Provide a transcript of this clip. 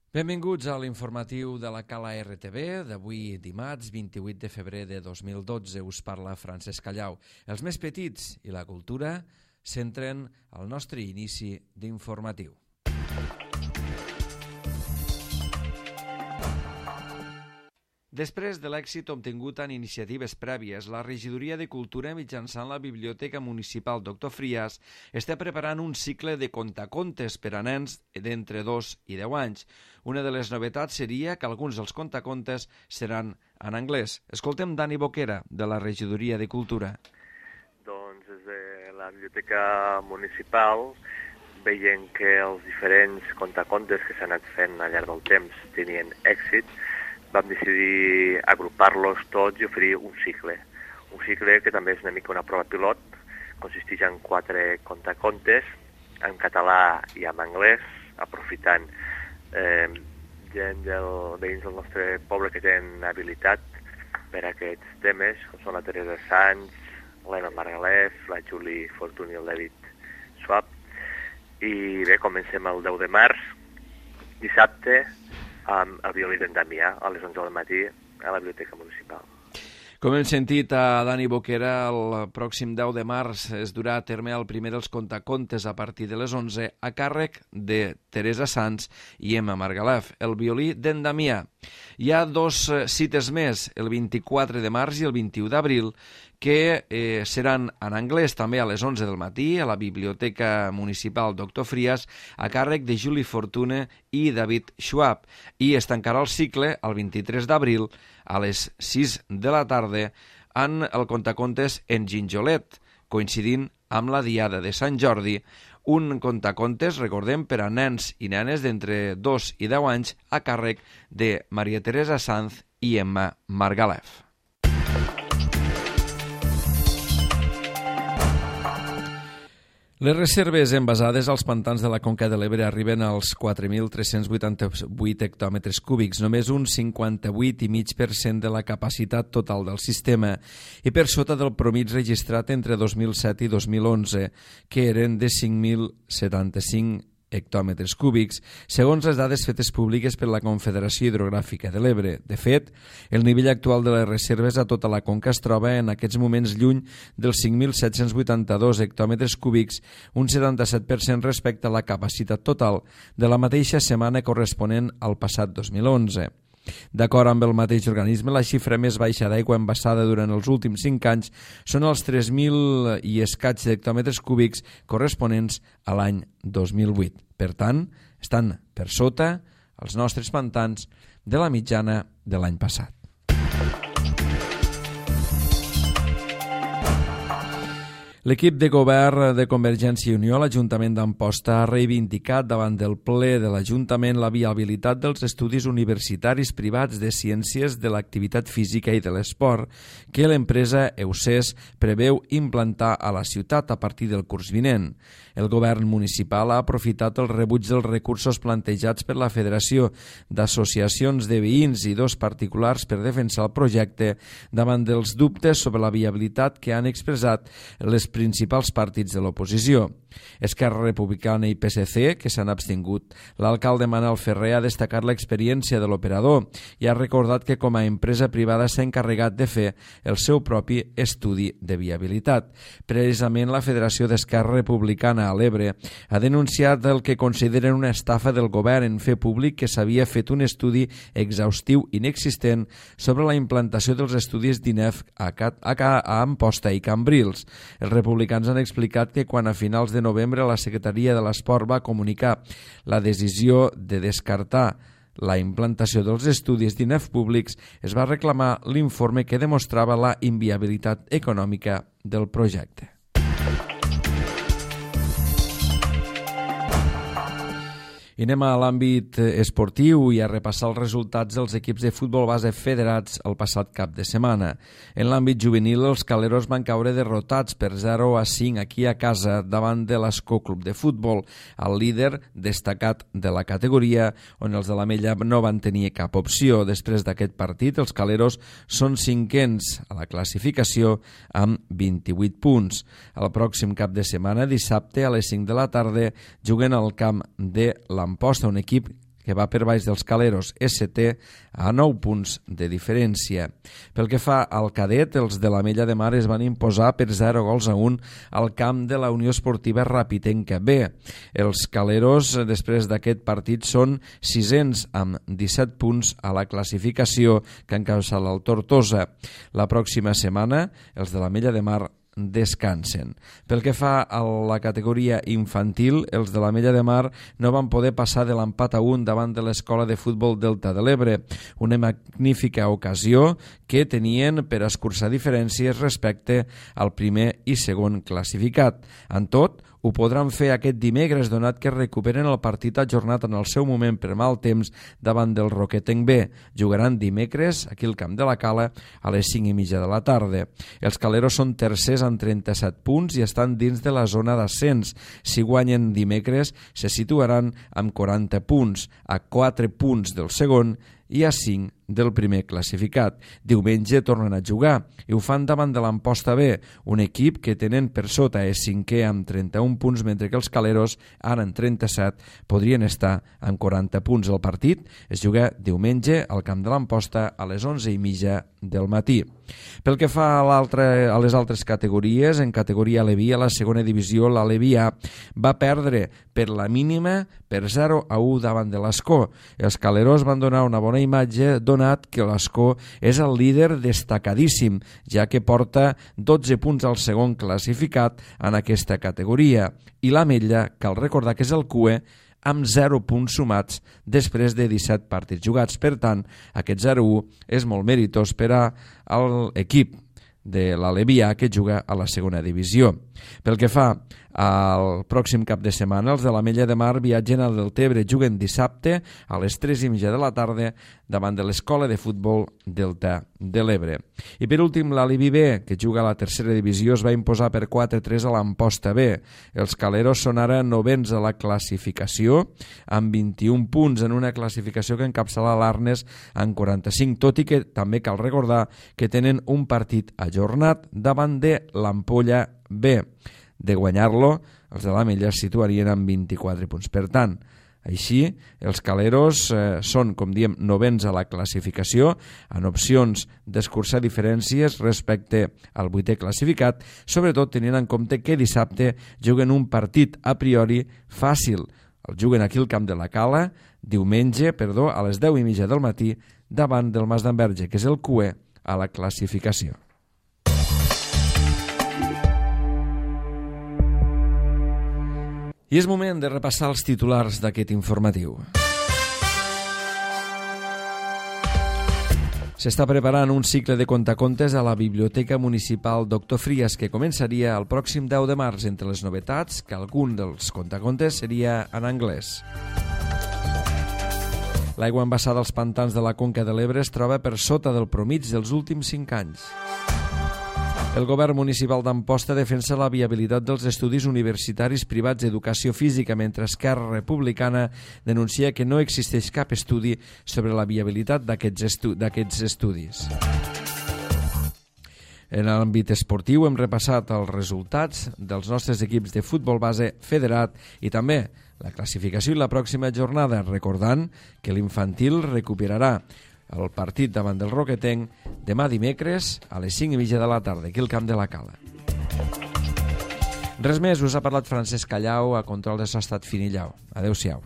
Benvinguts a l'informatiu de la Cala RTV d'avui dimarts 28 de febrer de 2012. Us parla Francesc Callau. Els més petits i la cultura centren el nostre inici d'informatiu. Després de l'èxit obtingut en iniciatives prèvies, la Regidoria de Cultura, mitjançant la Biblioteca Municipal Dr. Frias, està preparant un cicle de contacontes per a nens d'entre 2 i 10 anys. Una de les novetats seria que alguns dels contacontes seran en anglès. Escoltem Dani Boquera, de la Regidoria de Cultura. Doncs des de la Biblioteca Municipal, veient que els diferents contacontes que s'han anat fent al llarg del temps tenien èxit, vam decidir agrupar-los tots i oferir un cicle que també és una mica una prova pilot. Consisteix en 4 contacontes en català i en anglès, aprofitant veïns del nostre poble que tenen habilitat per a aquests temes, com són la Teresa Sanz, l'Emma Margalef, la Julie Fortuny i el David Schwab. I bé, comencem el 10 de març, dissabte, amb el violí d'en Damià a les 11 del matí a la Biblioteca Municipal. Com hem sentit a Dani Boquera, el pròxim 10 de març es durà a terme el primer dels contacontes a partir de les 11 a càrrec de Teresa Sanz i Emma Margalef, el violí d'en Damià. Hi ha 2 cites més, el 24 de març i el 21 d'abril, que seran en anglès també a les 11 del matí a la Biblioteca Municipal Dr. Frias a càrrec de Julie Fortuny i David Schwab, i es tancarà el cicle el 23 d'abril a les 6 de la tarda en el contacontes en Ginjolet, coincidint amb la Diada de Sant Jordi, un contacontes, recordem, per a nens i nenes d'entre 2 i 10 anys a càrrec de Maria Teresa Sanz i Emma Margalef. Les reserves envasades als pantans de la Conca de l'Ebre arriben als 4.388 hectòmetres cúbics, només un 58,5% de la capacitat total del sistema, i per sota del promig registrat entre 2007 i 2011, que eren de 5.075 hectòmetres cúbics, segons les dades fetes públiques per la Confederació Hidrogràfica de l'Ebre. De fet, el nivell actual de les reserves a tota la conca es troba en aquests moments lluny dels 5.782 hectòmetres cúbics, un 77% respecte a la capacitat total de la mateixa setmana corresponent al passat 2011. D'acord amb el mateix organisme, la xifra més baixa d'aigua embassada durant els últims 5 anys són els 3.000 i escaig hectòmetres cúbics corresponents a l'any 2008. Per tant, estan per sota els nostres pantans de la mitjana de l'any passat. L'equip de govern de Convergència i Unió a l'Ajuntament d'Amposta ha reivindicat davant del ple de l'Ajuntament la viabilitat dels estudis universitaris privats de ciències de l'activitat física i de l'esport que l'empresa EUCES preveu implantar a la ciutat a partir del curs vinent. El govern municipal ha aprofitat el rebuig dels recursos plantejats per la Federació d'Associacions de Veïns i 2 particulars per defensar el projecte davant dels dubtes sobre la viabilitat que han expressat les principals partits de l'oposició. Esquerra Republicana i PSC, que s'han abstingut. L'alcalde Manel Ferrer ha destacat l'experiència de l'operador i ha recordat que com a empresa privada s'ha encarregat de fer el seu propi estudi de viabilitat. Precisament la Federació d'Esquerra Republicana a l'Ebre ha denunciat el que consideren una estafa del govern en fer públic que s'havia fet un estudi exhaustiu inexistent sobre la implantació dels estudis d'INEF a Amposta i Cambrils. Els republicans han explicat que quan a finals de novembre la Secretaria de l'Esport va comunicar la decisió de descartar la implantació dels estudis d'INEF públics, es va reclamar l'informe que demostrava la inviabilitat econòmica del projecte. I anem a l'àmbit esportiu i a repassar els resultats dels equips de futbol base federats el passat cap de setmana. En l'àmbit juvenil, els caleros van caure derrotats per 0-5 aquí a casa davant de l'Escó Club de Futbol, el líder destacat de la categoria, on els de l'Ametlla no van tenir cap opció. Després d'aquest partit, els caleros són 5ens a la classificació amb 28 punts. El pròxim cap de setmana, dissabte a les 5 de la tarda, juguen al camp de l'Amposta, un equip que va per baix dels Caleros ST a 9 punts de diferència. Pel que fa al cadet, els de l'Ametlla de Mar es van imposar per 0-1 al camp de la Unió Esportiva Rapitenca B. Els Caleros, després d'aquest partit, són 600 amb 17 punts a la classificació que encapçala el Tortosa. La pròxima setmana, els de l'Ametlla de Mar descansen. Pel que fa a la categoria infantil, els de l'Ametlla de Mar no van poder passar de l'empat a 1 davant de l'Escola de Futbol Delta de l'Ebre, una magnífica ocasió que tenien per escurçar diferències respecte al primer i segon classificat. En tot, ho podran fer aquest dimecres, donat que recuperen el partit ajornat en el seu moment per mal temps davant del Roquetenc B. Jugaran dimecres aquí al Camp de la Cala a les 5:30 de la tarda. Els Caleros són tercers amb 37 punts i estan dins de la zona d'ascens. Si guanyen dimecres, se situaran amb 40 punts, a 4 punts del segon i a 5 del primer classificat. Diumenge tornen a jugar i ho fan davant de l'Amposta B, un equip que tenen per sota és 5è amb 31 punts, mentre que els Caleros, ara en 37, podrien estar amb 40 punts. El partit es juga diumenge al camp de l'Amposta a les 11:30 del matí. Pel que fa a les altres categories, en categoria Aleví, a la segona divisió, l'Aleví A va perdre per la mínima per 0-1 davant de l'Escó. Els Caleros van donar una bona imatge, donat que l'Escó és el líder destacadíssim, ja que porta 12 punts al segon classificat en aquesta categoria. I l'Ametlla, cal recordar que és el CUE, amb 0 punts sumats després de 17 partits jugats. Per tant, aquest 0-1 és molt meritós per a l'equip de l'Aleví A que juga a la segona divisió. Pel que fa al pròxim cap de setmana, els de l'Ametlla de Mar viatgen al Deltebre, juguen dissabte a les 3:30 de la tarda davant de l'Escola de Futbol Delta de l'Ebre. I per últim, l'Aleví B, que juga a la tercera divisió, es va imposar per 4-3 a l'Amposta B. Els Caleros són ara novens a la classificació, amb 21 punts en una classificació que encapçala l'Arnes amb 45, tot i que també cal recordar que tenen un partit ajornat davant de l'Ampolla B. De guanyar-lo, els de l'Ametlla es situarien amb 24 punts. Per tant, així, els Caleros són, com diem, novens a la classificació, en opcions d'escurçar diferències respecte al 8è classificat, sobretot tenint en compte que dissabte juguen un partit a priori fàcil. El juguen aquí al Camp de la Cala, diumenge, a les 10:30 del matí, davant del Mas d'Enverge, que és el CUE a la classificació. I és moment de repassar els titulars d'aquest informatiu. S'està preparant un cicle de contacontes a la Biblioteca Municipal Doctor Frias que començaria el pròxim 10 de març. Entre les novetats, que algun dels contacontes seria en anglès. L'aigua embassada als pantans de la Conca de l'Ebre es troba per sota del promig dels últims 5 anys. El govern municipal d'Amposta defensa la viabilitat dels estudis universitaris privats d'educació física, mentre Esquerra Republicana denuncia que no existeix cap estudi sobre la viabilitat d'aquests estudis. En l'àmbit esportiu hem repassat els resultats dels nostres equips de futbol base federat i també la classificació i la pròxima jornada, recordant que l'infantil recuperarà el partit davant del Roquetenc demà dimecres a les 5:30 de la tarda, aquí al Camp de la Cala. Res més, us ha parlat Francesc Callau, a control de so ha estat Finillau. Adéu-siau.